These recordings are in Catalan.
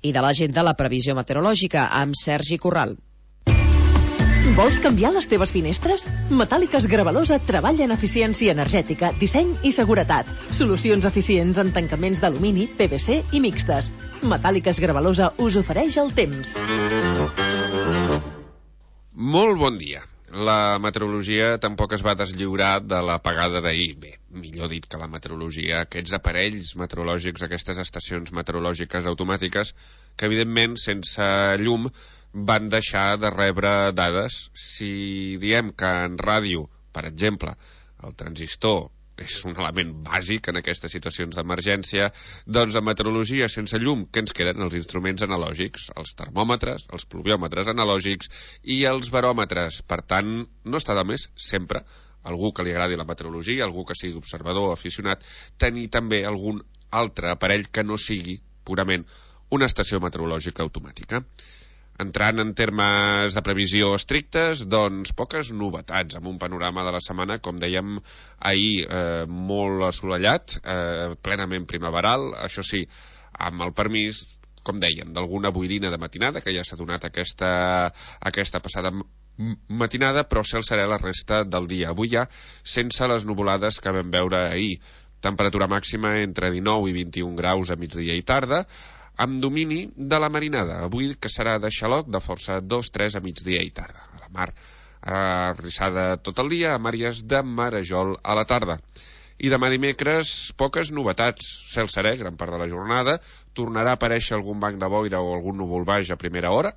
i de l'agenda La Previsió Meteorològica, amb Sergi Corral. Vols canviar les teves finestres? Metàl·liques Gravalosa treballa en eficiència energètica, disseny i seguretat. Solucions eficients en tancaments d'alumini, PVC i mixtes. Metàl·liques Gravalosa us ofereix el temps. Molt bon dia. La meteorologia tampoc es va deslliurar de l'apagada d'ahir. Bé, millor dit que la meteorologia, aquests aparells meteorològics, aquestes estacions meteorològiques automàtiques, que evidentment sense llum van deixar de rebre dades. Si diem que en ràdio, per exemple, el transistor és un element bàsic en aquestes situacions d'emergència, doncs en meteorologia sense llum, què ens queden? Els instruments analògics, els termòmetres, els pluviòmetres analògics i els baròmetres. Per tant, no està de més sempre, algú que li agradi la meteorologia, algú que sigui observador o aficionat, tenir també algun altre aparell que no sigui purament una estació meteorològica automàtica. Entrant en termes de previsió estrictes, doncs poques novetats, amb un panorama de la setmana, com dèiem ahir, molt assolellat, plenament primaveral, això sí, amb el permís, com dèiem, d'alguna boirina de matinada, que ja s'ha donat aquesta passada matinada, però cel serè la resta del dia. Avui ja, sense les nuvolades que vam veure ahir, temperatura màxima entre 19 i 21 graus a migdia i tarda, amb domini de la marinada, avui que serà de xaloc de força 2-3 a migdia i tarda. A la mar arrissada tot el dia, amb àrees de marejol a la tarda. I demà dimecres, poques novetats. Cel serè, gran part de la jornada, tornarà a aparèixer algun banc de boira o algun núvol baix a primera hora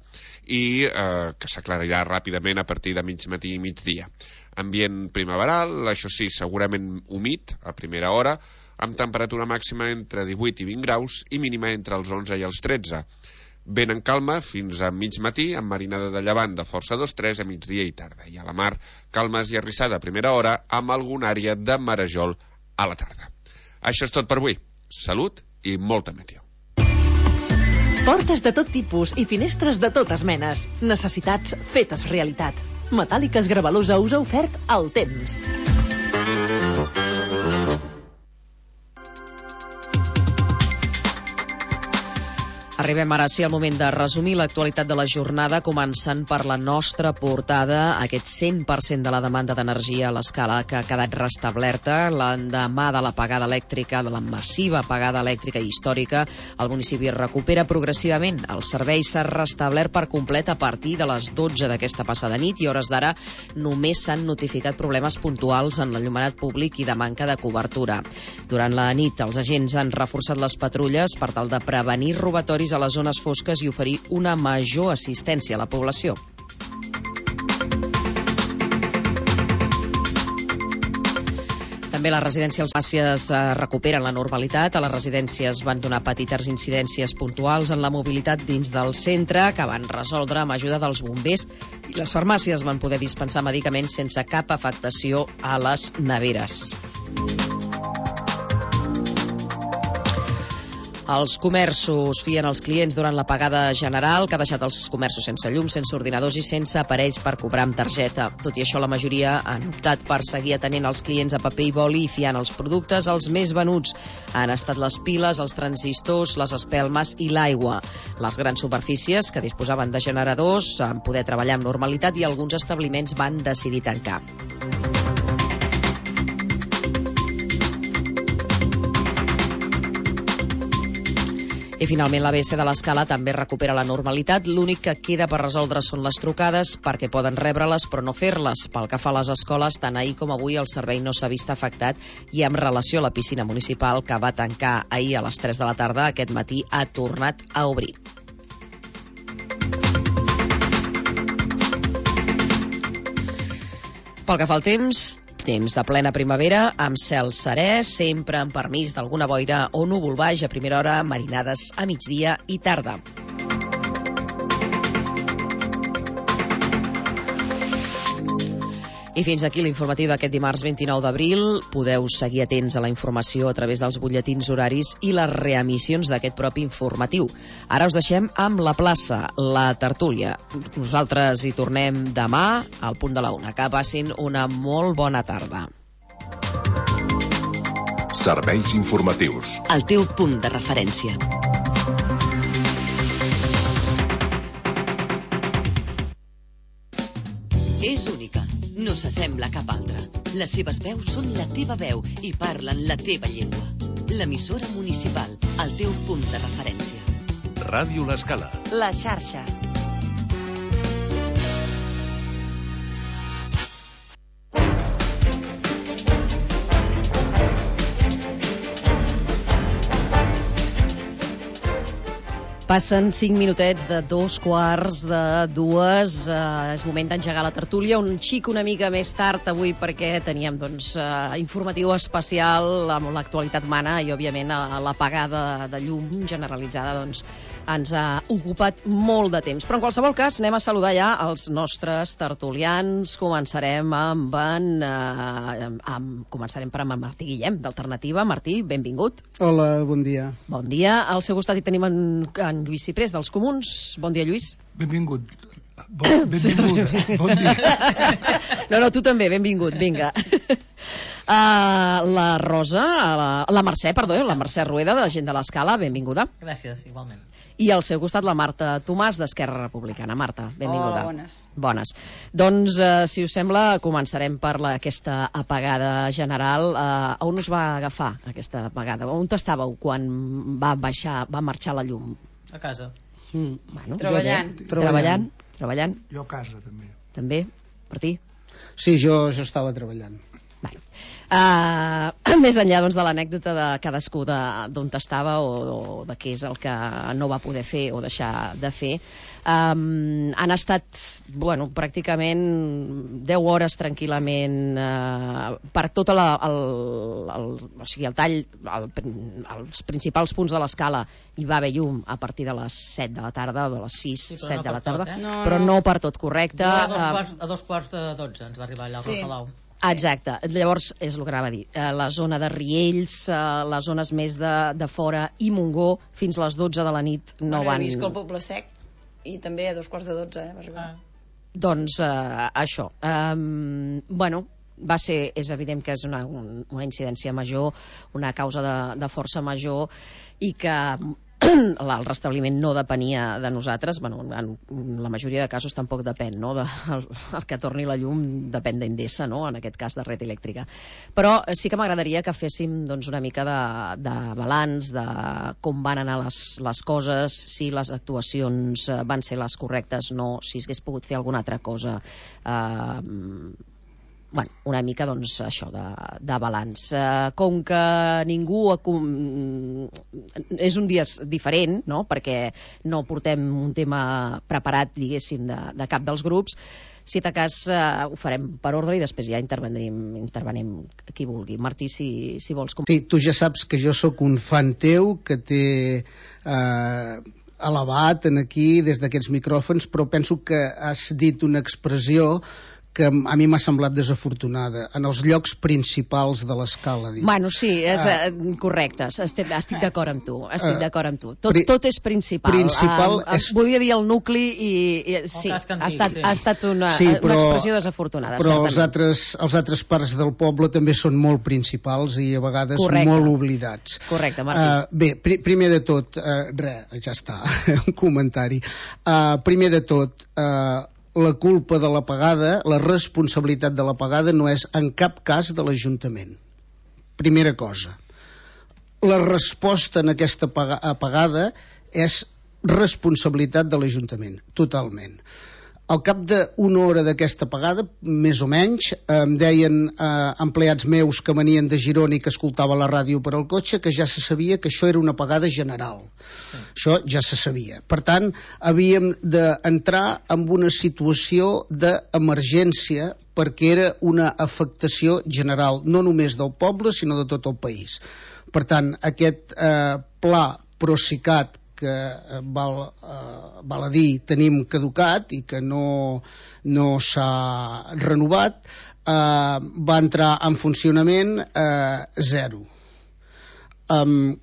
i que s'aclarirà ràpidament a partir de mig matí i migdia. Ambient primaveral, això sí, segurament humit a primera hora, amb temperatura màxima entre 18 i 20 graus i mínima entre els 11 i els 13. Vent en calma fins a mig matí, amb marinada de llevant de força 2-3 a migdia i tarda. I a la mar, calmes i arrissada a primera hora, amb alguna àrea de marejol a la tarda. Això és tot per avui. Salut i molta meteo. Portes de tot tipus i finestres de totes menes. Necessitats fetes realitat. Metàl·liques Gravalosa us ha ofert el temps. Arribem ara sí al moment de resumir l'actualitat de la jornada, començant per la nostra portada, aquest 100% de la demanda d'energia a l'escala que ha quedat restablerta. L'endemà de l'apagada elèctrica, de la massiva apagada elèctrica històrica, el municipi recupera progressivament. El servei s'ha restablert per complet a partir de les 12 d'aquesta passada nit i a hores d'ara només s'han notificat problemes puntuals en l'enllumenat públic i de manca de cobertura. Durant la nit, els agents han reforçat les patrulles per tal de prevenir robatoris a les zones fosques i oferir una major assistència a la població. També les residències farmàcies recuperen la normalitat. A les residències van donar petites incidències puntuals en la mobilitat dins del centre que van resoldre amb ajuda dels bombers i les farmàcies van poder dispensar medicaments sense cap afectació a les neveres. Els comerços fien els clients durant l'apagada general, que ha deixat els comerços sense llum, sense ordinadors i sense aparells per cobrar amb targeta. Tot i això, la majoria han optat per seguir atenent els clients a paper i boli i fiant els productes. Els més venuts han estat les piles, els transistors, les espelmes i l'aigua. Les grans superfícies, que disposaven de generadors, van poder treballar amb normalitat i alguns establiments van decidir tancar. I finalment l'ABS de l'Escala també recupera la normalitat. L'únic que queda per resoldre són les trucades, perquè poden rebre-les però no fer-les. Pel que fa a les escoles, tant ahir com avui el servei no s'ha vist afectat i amb relació a la piscina municipal, que va tancar ahir a les 3 de la tarda, aquest matí ha tornat a obrir. Pel que fa al temps de plena primavera, amb cel serè, sempre amb permís d'alguna boira o núvol baix a primera hora, marinades a migdia i tarda. I fins aquí l'informatiu d'aquest dimarts 29 d'abril. Podeu seguir atents a la informació a través dels butlletins horaris i les reemissions d'aquest propi informatiu. Ara us deixem amb la plaça, la tertúlia. Nosaltres hi tornem demà al punt de la 1. Que passin una molt bona tarda. Serveis informatius. El teu punt de referència. no s'assembla a cap altra. Les seves veus són la teva veu i parlen la teva llengua. L'emissora municipal, el teu punt de referència. Ràdio L'Escala. La xarxa. Passen 5 minutets de 2:15. És moment d'engegar la tertúlia un xic una mica més tard avui perquè teníem informatiu especial amb l'actualitat mana i òbviament l'apagada de llum generalitzada ens ha ocupat molt de temps. Però en qualsevol cas anem a saludar ja els nostres tertulians. Començarem per en Martí Guillem, d'Alternativa. Martí, benvingut. Hola, bon dia. Bon dia. Al seu costat hi tenim en Lluís Ciprés, dels Comuns. Bon dia, Lluís. Benvingut. Benvingut. Bon dia. No, tu també, benvingut, vinga. La Rosa, la Mercè Rueda, de la gent de l'Escala, benvinguda. Gràcies, igualment. I al seu costat la Marta Tomàs, d'Esquerra Republicana. Marta, benvinguda. Hola, bones. Bones. Doncs, si us sembla, començarem per aquesta apagada general. On us va agafar aquesta apagada? On estàveu quan va marxar la llum? A casa. Bueno, Treballant. Treballant. Jo a casa, també. També? Martí? Sí, jo estava treballant. Més enllà de l'anècdota de cadascú d'on estava o de què és el que no va poder fer o deixar de fer, han estat pràcticament 10 hores tranquil·lament per tot el tall, els principals punts de l'escala hi va haver llum a partir de les 7 de la tarda o de les 6-7 de la tarda, però no per tot, correcte. A 2:45 ens va arribar allà al Salau. Exacte, llavors és el que anava a dir, la zona de Riells, les zones més de fora i Montgó, fins a les 12 de la nit no van... He vist que el Poble Sec i també a 2:45 va arribar. Doncs això, és evident que és una incidència major, una causa de força major i que el restabliment no depenia de nosaltres, en la majoria de casos tampoc depèn, no? El que torni la llum depèn d'Endesa, no? En aquest cas de Red Elèctrica. Però sí que m'agradaria que féssim una mica de balanç de com van anar les coses, si les actuacions van ser les correctes, no, si s'hagués pogut fer alguna altra cosa. Una mica això de balanç. Com que ningú és un dia diferent, no? Perquè no portem un tema preparat, diguéssim, de cap dels grups, si de cas ho farem per ordre i després ja intervenim qui vulgui. Martí, si vols... Sí, tu ja saps que jo sóc un fan teu que té elevat aquí des d'aquests micròfons, però penso que has dit una expressió que a mi m'ha semblat desafortunada, en els llocs principals de l'escala. Sí, és correcte, estic d'acord amb tu. Tot és principal. Volia dir el nucli i sí, ha estat una expressió desafortunada. Però els altres parts del poble també són molt principals i a vegades molt oblidats. Correcte, Martí. Bé, primer de tot, ja està, un comentari. Primer de tot, la culpa de l'apagada, la responsabilitat de l'apagada no és en cap cas de l'Ajuntament. Primera cosa. La resposta en aquesta apagada és responsabilitat de l'Ajuntament, totalment. Al cap d'una hora d'aquesta apagada, més o menys, em deien empleats meus que venien de Girona i que escoltava la ràdio per al cotxe que ja se sabia que això era una apagada general. Això ja se sabia. Per tant, havíem d'entrar en una situació d'emergència perquè era una afectació general, no només del poble, sinó de tot el país. Per tant, aquest pla Procicat que val a dir tenim caducat i que no s'ha renovat, va entrar en funcionament 0.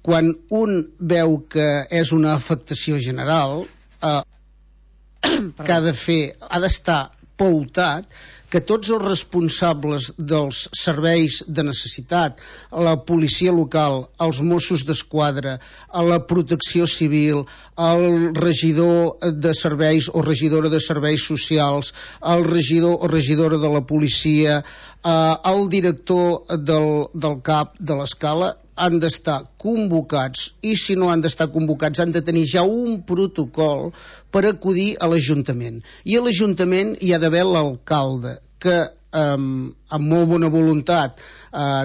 Quan un veu que és una afectació general, que ha d'estar pautat que tots els responsables dels serveis de necessitat, la policia local, els Mossos d'Esquadra, la protecció civil, el regidor de serveis o regidora de serveis socials, el regidor o regidora de la policia, el director del CAP de l'Escala, han d'estar convocats, i si no han d'estar convocats han de tenir ja un protocol per acudir a l'Ajuntament. I a l'Ajuntament hi ha d'haver l'alcalde, que amb molt bona voluntat,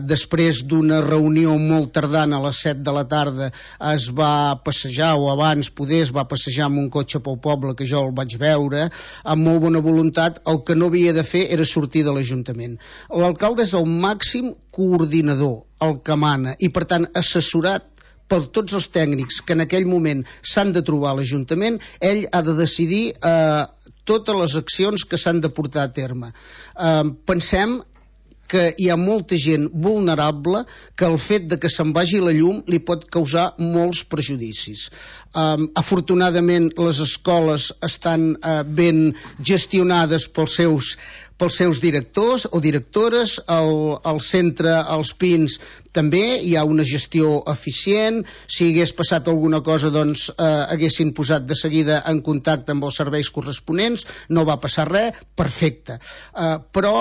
després d'una reunió molt tardana a les 7 de la tarda es va passejar, o abans poder es va passejar amb un cotxe pel poble, que jo el vaig veure, amb molt bona voluntat. El que no havia de fer era sortir de l'Ajuntament. L'alcalde és el màxim coordinador, el que mana, i per tant assessorat per tots els tècnics que en aquell moment s'han de trobar a l'Ajuntament, ell ha de decidir totes les accions que s'han de portar a terme. Pensem que hi ha molta gent vulnerable que el fet de que se'n vagi la llum li pot causar molts prejudicis. Afortunadament les escoles estan ben gestionades pels seus directors o directores, al centre, als Pins, també hi ha una gestió eficient. Si hagués passat alguna cosa, doncs haguessin posat de seguida en contacte amb els serveis corresponents, no va passar res, perfecte. Però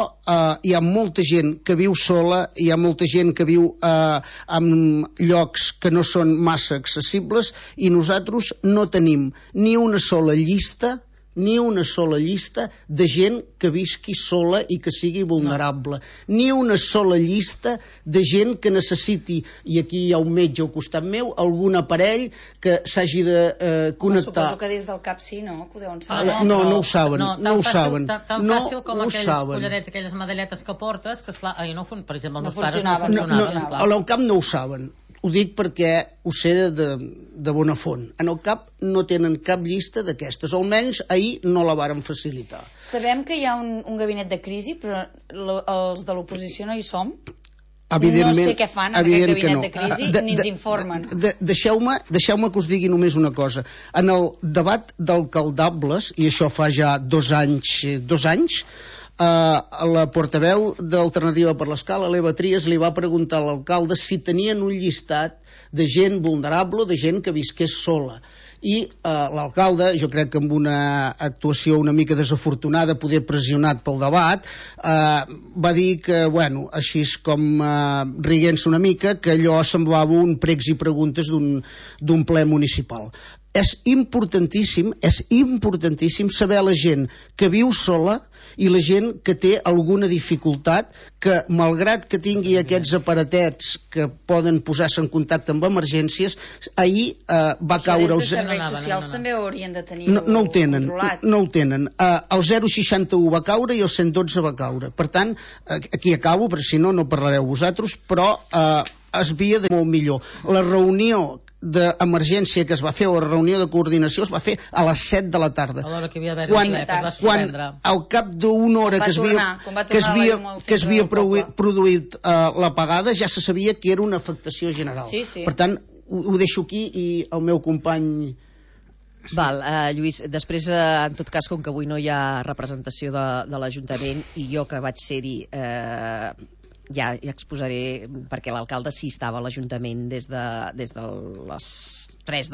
hi ha molta gent que viu sola, hi ha molta gent que viu en llocs que no són massa accessibles, i nosaltres no tenim ni una sola llista de gent que visqui sola i que sigui vulnerable, ni una sola llista de gent que necessiti, i aquí hi ha un metge al costat meu, algun aparell que s'hagi de connectar. Suposo que des del CAP sí, no? Que ho deuen saber. No ho saben. Tan fàcil com aquells collarets, aquelles medalletes que portes, que esclar, no, per exemple, els meus pares no funcionaven. Al CAP no ho saben. Ho dic perquè ho sé de bona font. En el CAP no tenen cap llista d'aquestes, almenys ahir no la varen facilitar. Sabem que hi ha un gabinet de crisi, però els de l'oposició no hi som. Evidentment, no sé què fan en aquest gabinet de crisi, ni ens informen. Deixeu-me que us digui només una cosa. En el debat d'alcaldables, i això fa ja 2 anys, la portaveu d'Alternativa per l'Escala, l'Eva Trias, li va preguntar a l'alcalde si tenien un llistat de gent vulnerable, de gent que visqués sola. I l'alcalde, jo crec que amb una actuació una mica desafortunada, poder pressionat pel debat, va dir que, bueno, així com riguent-se una mica, que allò semblava un pregs i preguntes d'un ple municipal. És importantíssim saber la gent que viu sola i la gent que té alguna dificultat, que malgrat que tingui aquests aparatets que poden posar-se en contacte amb emergències, ahir va caure... Els serveis socials també ho haurien de tenir controlat. No ho tenen. El 061 va caure i el 112 va caure. Per tant, aquí acabo, perquè si no parlareu vosaltres, però es havia de molt millor. La reunió d'emergència que es va fer, o la reunió de coordinació, es va fer a les 7 de la tarda. A l'hora que havia d'haver-hi quan al cap d'una hora que es havia produït l'apagada, ja se sabia que era una afectació general. Per tant, ho deixo aquí, i el meu company... Lluís, després, en tot cas, com que avui no hi ha representació de l'Ajuntament, i jo que vaig ser-hi, ja exposaré perquè l'alcalde sí estava a l'Ajuntament des de les 2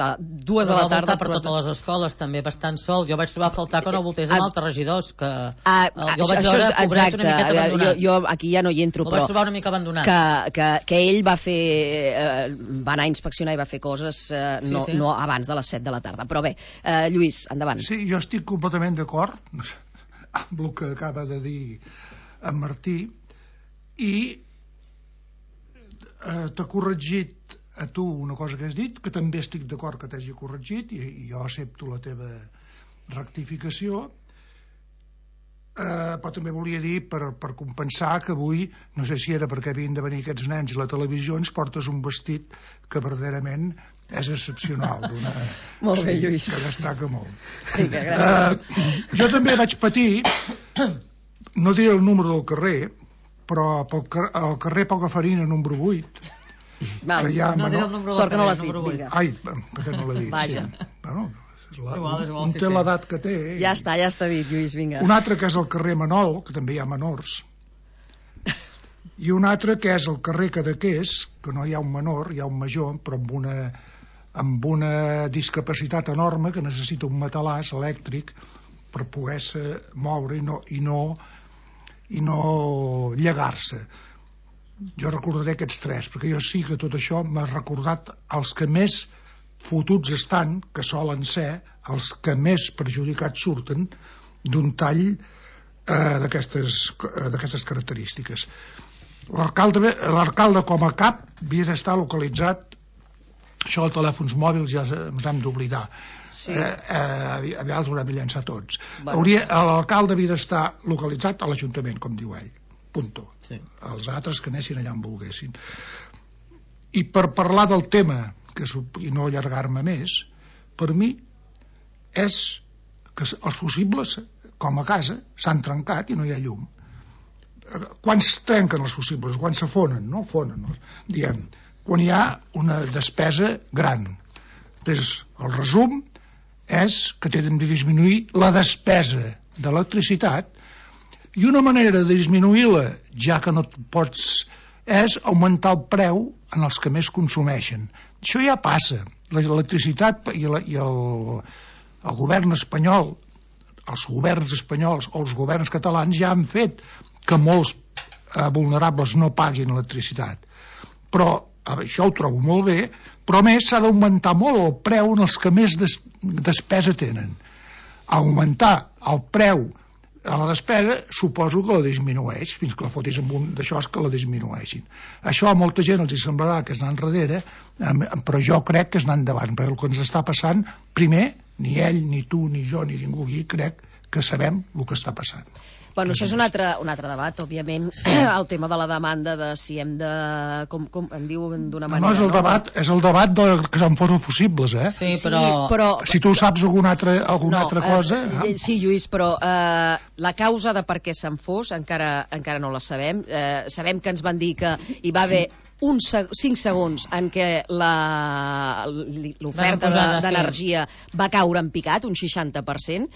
de la tarda. Per totes les escoles, també bastant sol. Jo vaig trobar a faltar que no voltés amb altres regidors, que jo vaig veure pobret una miqueta abandonat. Jo aquí ja no hi entro, però el vaig trobar una mica abandonat. Que ell va anar a inspeccionar i va fer coses no abans de les 7 de la tarda. Però bé, Lluís, endavant. Sí, jo estic completament d'acord amb el que acaba de dir en Martí, i t'ha corregit a tu una cosa que has dit, que també estic d'acord que t'hagi corregit, i jo accepto la teva rectificació, però també volia dir, per compensar, que avui, no sé si era perquè havien de venir aquests nens i la televisió, ens portes un vestit que verdaderament és excepcional. Molt bé, Lluís. Que destaca molt. Vinga, gràcies. Jo també vaig patir, no diré el número del carrer, però al carrer Pogafarina número 8, no diré el número sort que no del l'has dit, número 8. Ai, perquè no l'he dit. Vaja. Bueno, Un té l'edat que té. Ja està dit, Lluís, vinga. Un altre que és el carrer Manol, que també hi ha menors, i un altre que és el carrer Cadaqués, que no hi ha un menor, hi ha un major, però amb una discapacitat enorme, que necessita un matalàs elèctric per poder-se moure i no llegar-se. Jo recordaré aquests tres, perquè jo sí que tot això m'ha recordat els que més fotuts estan, que solen ser els que més perjudicats surten d'un tall d'aquestes característiques. L'alcalde com a cap havia d'estar localitzat, això dels telèfons mòbils ja ens hem d'oblidar, aviat l'haurem de llançar tots. L'alcalde havia d'estar localitzat a l'Ajuntament, com diu ell, punto. Els altres que anessin allà on volguessin. I per parlar del tema, i no allargar-me més, per mi és que els fusibles, com a casa, s'han trencat i no hi ha llum. Quan es trenquen els fusibles? Quan s'afonen, no? Diem, quan hi ha una despesa gran. Després, el resum és que tenen de disminuir la despesa d'electricitat, i una manera de disminuir-la, ja que no pots, és augmentar el preu en els que més consumeixen. Això ja passa. L'electricitat i el govern espanyol, els governs espanyols o els governs catalans ja han fet que molts vulnerables no paguin electricitat. Però això ho trobo molt bé, però a més s'ha d'augmentar molt el preu en els que més despesa tenen. Augmentar el preu a la despesa suposo que la disminueix, fins que la fotis amb un d'això és que la disminueixin. Això a molta gent els semblarà que és anar enrere, però jo crec que és anar endavant, perquè el que ens està passant, primer, ni ell, ni tu, ni jo, ni ningú aquí crec que sabem el que està passant. Bueno, això és un altre debat, òbviament, el tema de la demanda de si hem de... com em diuen d'una manera... No, és el debat que se'n fos possibles, eh? Sí, però... Si tu saps alguna altra cosa... Sí, Lluís, però la causa de per què se'n fos encara no la sabem. Sabem que ens van dir que hi va haver 5 segons en què l'oferta d'energia va caure en picat, un 60%.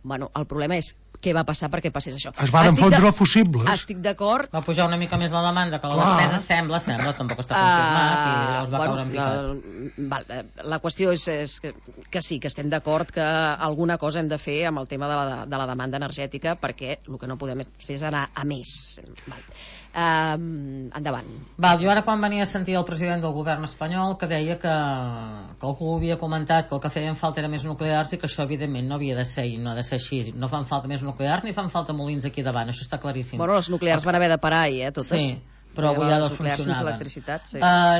Bueno, el problema és què va passar perquè passés això. Es van fondre fusibles. Estic d'acord. Va pujar una mica més la demanda que la despesa, sembla, tampoc està confirmat, i llavors va caure en picat. La qüestió és que sí, que estem d'acord que alguna cosa hem de fer amb el tema de la demanda energètica, perquè el que no podem fer és anar a més. Endavant. Jo ara quan venia a sentir el president del govern espanyol que deia que algú havia comentat que el que feien falta era més nuclears i que això evidentment no havia de ser i no ha de ser així, no fan falta més nuclears ni fan falta molins aquí davant, això està claríssim. Bueno, els nuclears van haver de parar totes. Sí, però avui ja dos funcionaven.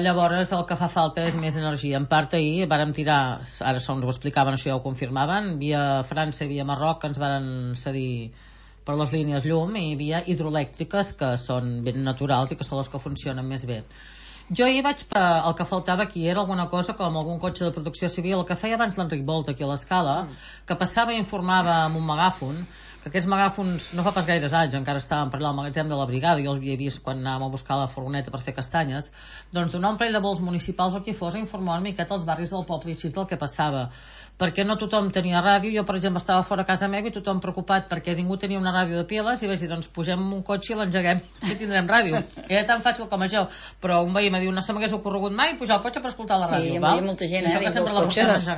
Llavors el que fa falta és més energia. En part ahir vàrem tirar, ara ens ho explicaven, això ja ho confirmaven, via França i via Marroc que ens varen cedir per les línies llum i via hidroelèctriques que són ben naturals i que són les que funcionen més bé. Jo ahir el que faltava aquí era alguna cosa com algun cotxe de protecció civil, el que feia abans l'Enric Volta aquí a l'Escala, que passava i informava amb un megàfon, que aquests megàfons no fa pas gaires anys encara estaven per allà al magatzem de la brigada, jo els havia vist quan anàvem a buscar la furgoneta per fer castanyes, doncs donar un parell de vols municipals o qui fos a informar una miqueta als barris del poble i així del que passava, perquè no tothom tenia ràdio. Jo per exemple estava fora a casa meva i tothom preocupat perquè ningú tenia una ràdio de piles i vaig dir, doncs pugem en un cotxe i l'engeguem que tindrem ràdio, era tan fàcil com això, però un veí me diu, no se m'hagués ocorregut mai pujar al cotxe per escoltar la ràdio. Sí, hi havia molta gent dins dels cotxes.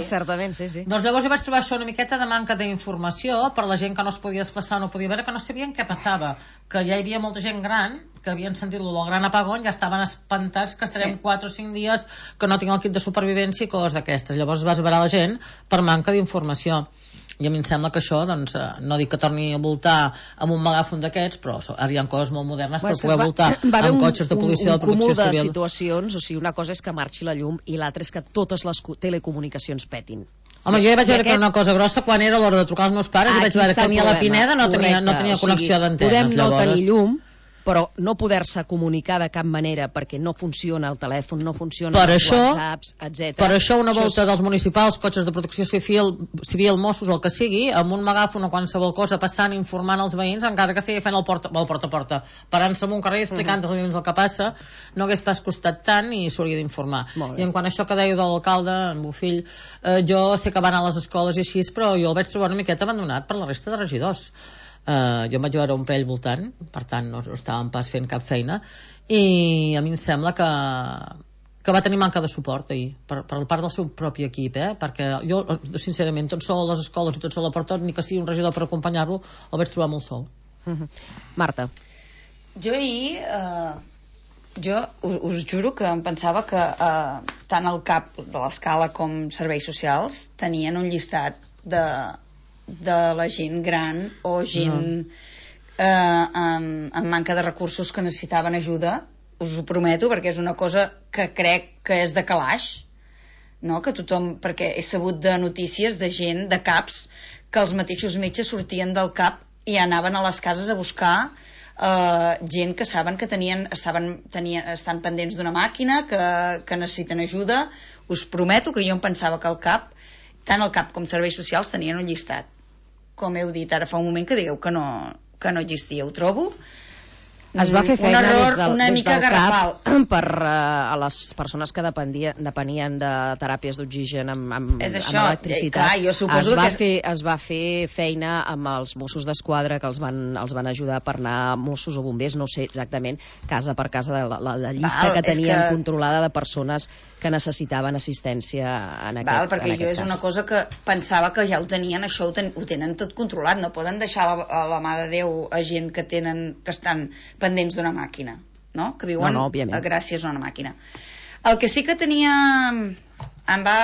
Certament, sí. Doncs llavors hi vaig trobar això una miqueta de manca d'informació per la gent que no es podia desplaçar, no podia veure, que no sabien què passava, que ja hi havia molta gent gran que havien sentit lo del gran apagón, ja estaven espantats que estarem 4 o 5 dies que no tinc el kit de supervivència i coses d'aquestes. Llavors es va esverar la gent per manca d'informació. I a mi em sembla que això, doncs, no dic que torni a voltar amb un megàfon d'aquests, però ara hi ha coses molt modernes per poder voltar amb cotxes de policia de protecció civil. Un cúmul de situacions, o sigui, una cosa és que marxi la llum i l'altra és que totes les telecomunicacions petin. Home, jo ja vaig veure que era una cosa grossa quan era l'hora de trucar als meus pares i vaig veure que ni a la Pineda no tenia connexió d'antenes. Podem no tenir llum, però no poder-se comunicar de cap manera perquè no funciona el telèfon, no funciona els whatsapps, etc. Per això una volta dels municipals, cotxes de protecció civil, Mossos, el que sigui, amb un megàfon o qualsevol cosa passant, informant els veïns, encara que sigui fent el porta a porta, parant-se en un carrer explicant als veïns el que passa, no hagués pas costat tant i s'hauria d'informar. I en quant a això que dèieu de l'alcalde, en Bofill, jo sé que va anar a les escoles i així, però jo el vaig trobar una miqueta abandonat per la resta de regidors. Jo em vaig veure un parell voltant, per tant no estàvem pas fent cap feina, i a mi em sembla que va tenir manca de suport ahir, per part del seu propi equip, perquè jo, sincerament, tot sol a les escoles i tot sol a porta, ni que sigui un regidor per acompanyar-lo, el vaig trobar molt sol. Marta. Jo ahir, us juro que em pensava que tant el CAP de l'Escala com Serveis Socials tenien un llistat de la gent gran o gent amb manca de recursos que necessitaven ajuda. Us ho prometo, perquè és una cosa que crec que és de calaix, no? Que tothom, perquè he sabut de notícies de gent, de CAPs, que els mateixos metges sortien del CAP i anaven a les cases a buscar gent que saben que estan pendents d'una màquina, que necessiten ajuda. Us prometo que jo em pensava que el CAP, tant el CAP com Serveis Socials, tenien un llistat. Com heu dit ara fa un moment, que digueu que no existia. Ho trobo es va fer feina una mica garrafal per a les persones que depenien de teràpies d'oxigen amb electricitat. Es va fer feina amb els Mossos d'Esquadra, que els van ajudar per anar, Mossos o bombers, no sé exactament, casa per casa, de la llista que tenien controlada de persones que necessitaven assistència en aquest cas. Perquè jo és una cosa que pensava que ja ho tenien, això ho tenen tot controlat, no poden deixar a la mà de Déu a gent que estan pendents d'una màquina, no? Que viuen gràcies a una màquina. El que sí que em va,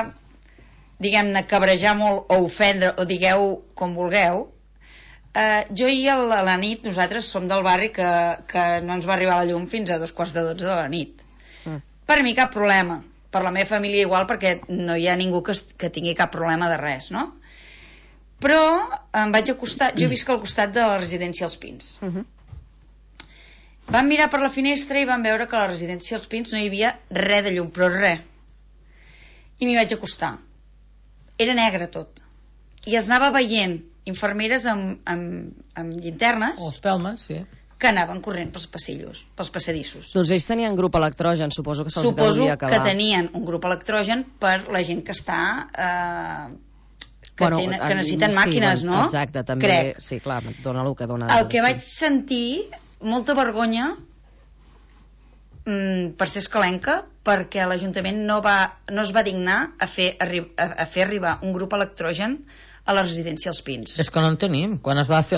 diguem-ne, cabrejar molt o ofendre, o digueu com vulgueu, jo ahir a la nit, nosaltres som del barri que no ens va arribar la llum fins a 2:45 de la nit. Per mi cap problema, per la meva família igual, perquè no hi ha ningú que tingui cap problema de res, no? Però em vaig acostar, jo visc al costat de la residència Els Pins. Vam mirar per la finestra i vam veure que a la residència Els Pins no hi havia res de llum, però res. I m'hi vaig acostar. Era negre tot. I es anava veient infermeres amb llinternes, o espelmes, sí, que anaven corrent pels passillos, pels passadissos. Doncs ells tenien grup electrogen, suposo que se'ls deuria acabar. Suposo que tenien un grup electrogen per la gent que està que necessiten màquines, no? Exacte, també. Crec. Sí, clar, dona el que dona. El que vaig sentir, molta vergonya per ser escalenca, perquè l'Ajuntament no es va dignar a fer arribar un grup electrogen a la residència Els Pins. És que no en tenim. Quan es va fer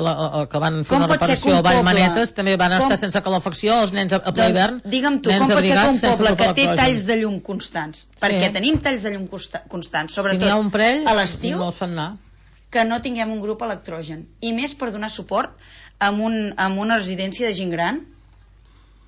que van fer una reparació a Vallmanetes, també van estar sense calefacció els nens a ple hivern. Digue'm tu, com pot ser que un poble que té talls de llum constants, perquè tenim talls de llum constants, sobretot a l'estiu, que no tinguem un grup electrogen, i més per donar suport a una residència de gent gran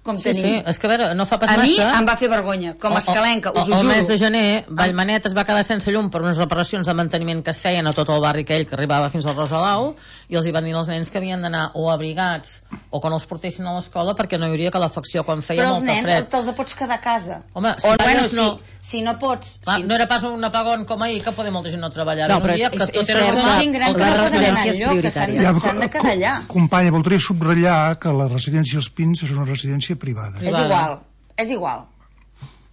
com tenim. Sí, és que a veure, no fa pas massa. A mi em va fer vergonya, com a escalenca, us ho juro. El mes de gener, Vallmanet es va quedar sense llum per unes reparacions de manteniment que es feien a tot el barri aquell que arribava fins al Rosalau, i els hi van dir als nens que havien d'anar o abrigats o que no els portessin a l'escola perquè no hi hauria calefacció quan feia molta fred. Però els nens te'ls pots quedar a casa. Home, si no pots... No era pas un apagón com ahir, que poder molta gent no treballar. No, però és cert que gent gran que no poden anar enlloc, que s'han de quedar allà. Companya, voldria subratllar que la residència Els Pins és una residència privada. És igual.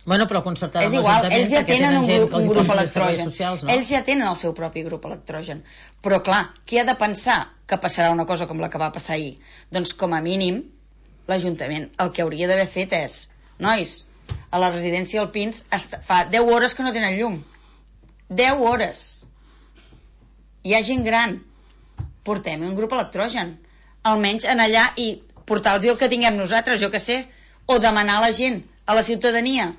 Bueno, però concertada amb l'Ajuntament, ells ja tenen un grup electrogen. Ells ja tenen el seu propi grup electrogen. Però clar, qui ha de pensar que passarà una cosa com la que va passar ahir? Doncs com a mínim l'Ajuntament el que hauria d'haver fet és: nois, a la residència dels Pins fa 10 hores que no tenen llum. 10 hores. Hi ha gent gran. Portem un grup electrogen. Almenys anar allà i portar-los el que tinguem nosaltres, jo que sé, o demanar a la gent, a la ciutadania,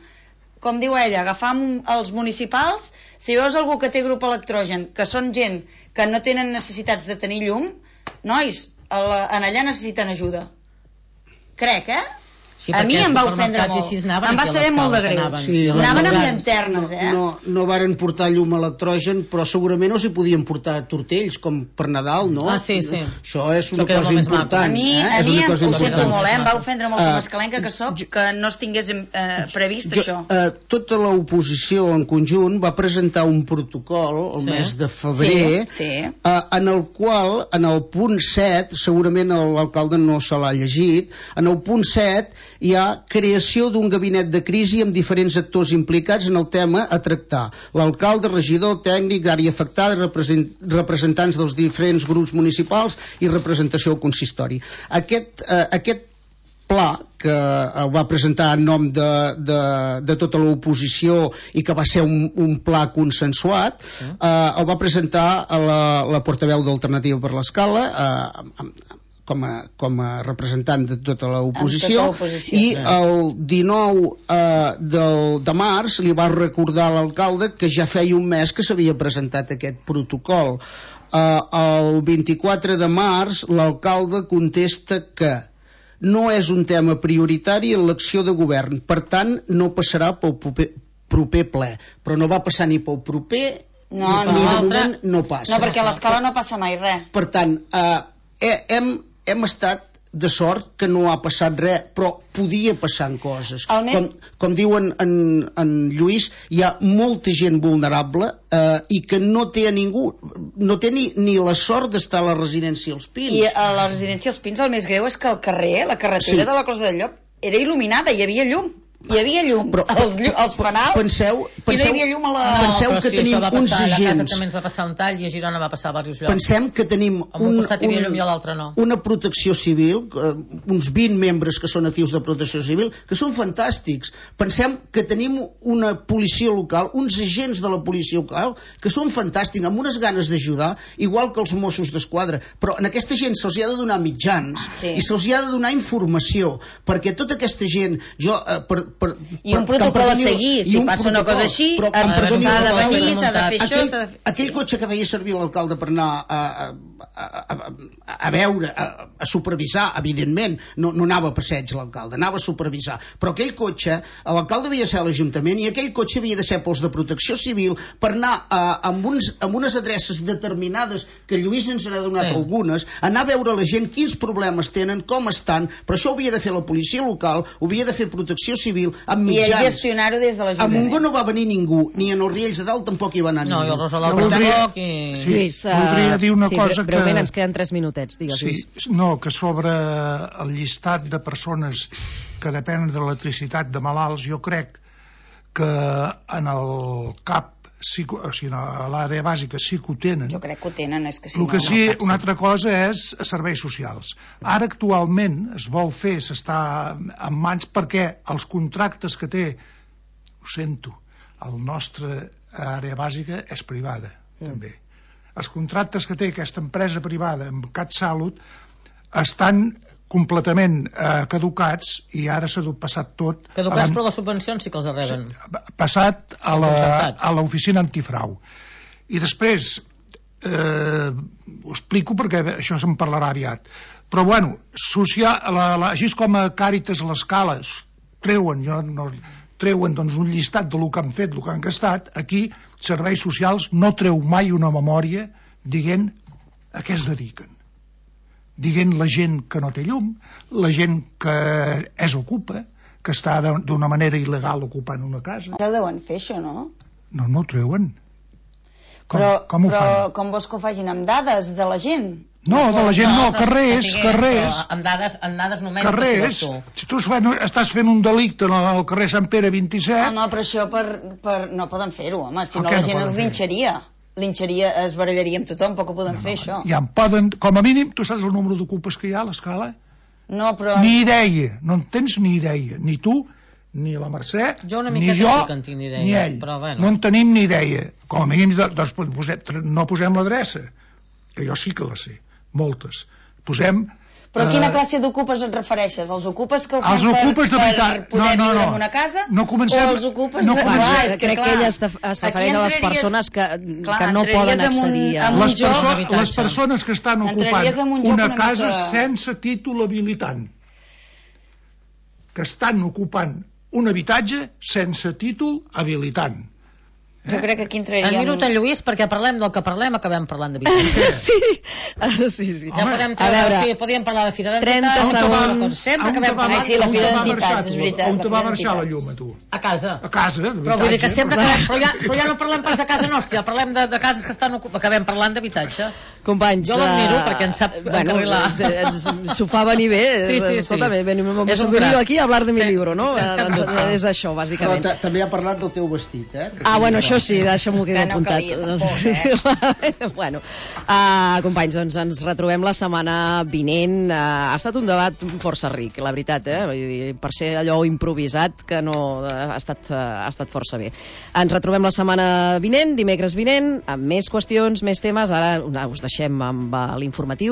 com diu ella, agafar els municipals, si veus algú que té grup electrogen, que són gent que no tenen necessitats de tenir llum, nois, en allà necessiten ajuda. Crec, A mi em va ofendre molt. Em va saber molt de greu. Anaven amb llanternes, No varen portar llum a electrogen, però segurament no s'hi podien portar tortells, com per Nadal, no? Sí. Això és una cosa important. A mi ho sento molt, em va ofendre molt com escalenca que soc, que no es tingués previst això. Tota l'oposició en conjunt va presentar un protocol el mes de febrer, en el qual, en el punt 7, segurament l'alcalde no se l'ha llegit, en el punt 7 hi ha creació d'un gabinet de crisi amb diferents actors implicats en el tema a tractar. L'alcalde, regidor, tècnic, àrea afectada, representants dels diferents grups municipals i representació al consistori. Aquest pla que va presentar en nom de tota l'oposició i que va ser un pla consensuat, el va presentar la portaveu d'Alternativa per l'Escala, com a representant de tota l'oposició, i el 19 de març li va recordar a l'alcalde que ja feia un mes que s'havia presentat aquest protocol. El 24 de març l'alcalde contesta que no és un tema prioritari en l'acció de govern, per tant no passarà pel proper ple, però no va passar ni pel proper ni de moment no passa. No, perquè a l'Escala no passa mai res. Per tant, hem estat de sort que no ha passat res, però podia passar coses. Com diuen en Lluís, hi ha molta gent vulnerable i que no té a ningú, no té ni la sort d'estar a la residència als Pins. I a la residència als Pins el més greu és que el carrer, la carretera de la Closa del Llop, era il·luminada, hi havia llum. Hi havia llum als penals i no hi havia llum a la... Penseu que tenim uns agents... A casa també ens va passar un tall i a Girona va passar a diversos llocs. Pensem que tenim una protecció civil, uns 20 membres que són actius de protecció civil, que són fantàstics. Pensem que tenim una policia local, uns agents de la policia local, que són fantàstics, amb unes ganes d'ajudar, igual que els Mossos d'Esquadra. Però a aquesta gent se'ls ha de donar mitjans i se'ls ha de donar informació, perquè tota aquesta gent... I un protocol a seguir, si passa una cosa així, s'ha de venir, s'ha de fer això... Aquell cotxe que feia servir l'alcalde per anar a veure, a supervisar, evidentment, no anava a passeig l'alcalde, anava a supervisar, però aquell cotxe, l'alcalde havia de ser a l'Ajuntament i aquell cotxe havia de ser pels de protecció civil per anar amb unes adreces determinades, que Lluís ens n'ha donat algunes, anar a veure la gent quins problemes tenen, com estan, però això ho havia de fer la policia local, ho havia de fer protecció civil, amb mitjans. I gestionar-ho des de l'Ajuntament. A Montgó no va venir ningú, ni en els Riells de Dalt tampoc hi va anar ningú. No, i el Rosalau tampoc. Lluís, voldria dir una cosa que... Breument, ens queden 3 minutets, digues, Lluís. No, que sobre el llistat de persones que depenen de l'electricitat de malalts, jo crec que en el CAP, o sigui, a l'àrea bàsica sí que ho tenen. Jo crec que ho tenen, és que si no... El que sí, una altra cosa és serveis socials. Ara actualment es vol fer, s'està en mans, perquè els contractes que té, ho sento, el nostre àrea bàsica és privada, també. Els contractes que té aquesta empresa privada amb CatSalut estan completament caducats i ara s'ha passat tot... Caducats, però les subvencions sí que els reben. Passat a l'oficina antifrau. I després, ho explico perquè això se'n parlarà aviat, però bueno, així com a Càritas a l'Escala treuen doncs, un llistat del que han fet, del que han gastat, aquí serveis socials no treu mai una memòria dient a què es dediquen, dient la gent que no té llum, la gent que és ocupa, que està d'una manera il·legal ocupant una casa. Ara deuen fer això, no? No ho treuen. Com ho fan? Però com vols que ho facin? Amb dades de la gent? No, de la gent no, carrers. Amb dades numèriques. Carrers. Si tu estàs fent un delicte al carrer Sant Pere 27... Home, però això no poden fer-ho, home, si no la gent els linxaria. Es barallaria amb tothom, però que poden fer això. Ja en poden, com a mínim, tu saps el número d'ocupes que hi ha a l'Escala? No, però... Ni idea, no en tens ni idea, ni tu, ni la Mercè, ni jo, ni ell. No en tenim ni idea. Com a mínim, doncs, no posem l'adreça, que jo sí que la sé, moltes. Posem... Però a quina classe d'ocupes et refereixes? Els ocupes que ho fan per poder viure en una casa? No comencem... O els ocupes de... Crec que ella es refereix a les persones que no poden accedir a... Les persones que estan ocupant una casa sense títol habilitant. que estan ocupant un habitatge sense títol habilitant. Jo crec que aquí entraríem... En minut en Lluís, perquè parlem del que parlem, acabem parlant d'habitatge. Sí. Ja podem treure... Sí, podíem parlar de Fira d'Entitats. 30 segons. Sempre acabem parlant. Sí, la Fira d'Entitats, és veritat. On te va marxar la llum, a tu? A casa. A casa, però vull dir que sempre acabem... Però ja no parlem pas de casa nostra, ja parlem de cases que estan ocupades. Acabem parlant d'habitatge. Companys... Jo l'admiro perquè en sap encarrilar. S'ho fa venir bé. Sí. Escolta, venim aquí a hablar de mi libro, no? És això, bàsicament. Però també ha parlat del teu vestit, eh? Ah, bueno, això sí, deixa'm-ho que no calia tampoc, bueno, companys, doncs ens retrobem la setmana vinent. Ha estat un debat força ric, la veritat, vull dir, per ser allò improvisat, que no ha estat força bé. Ens retrobem la setmana vinent, dimecres vinent, amb més qüestions, més temes. Ara us deixem amb l'informatiu.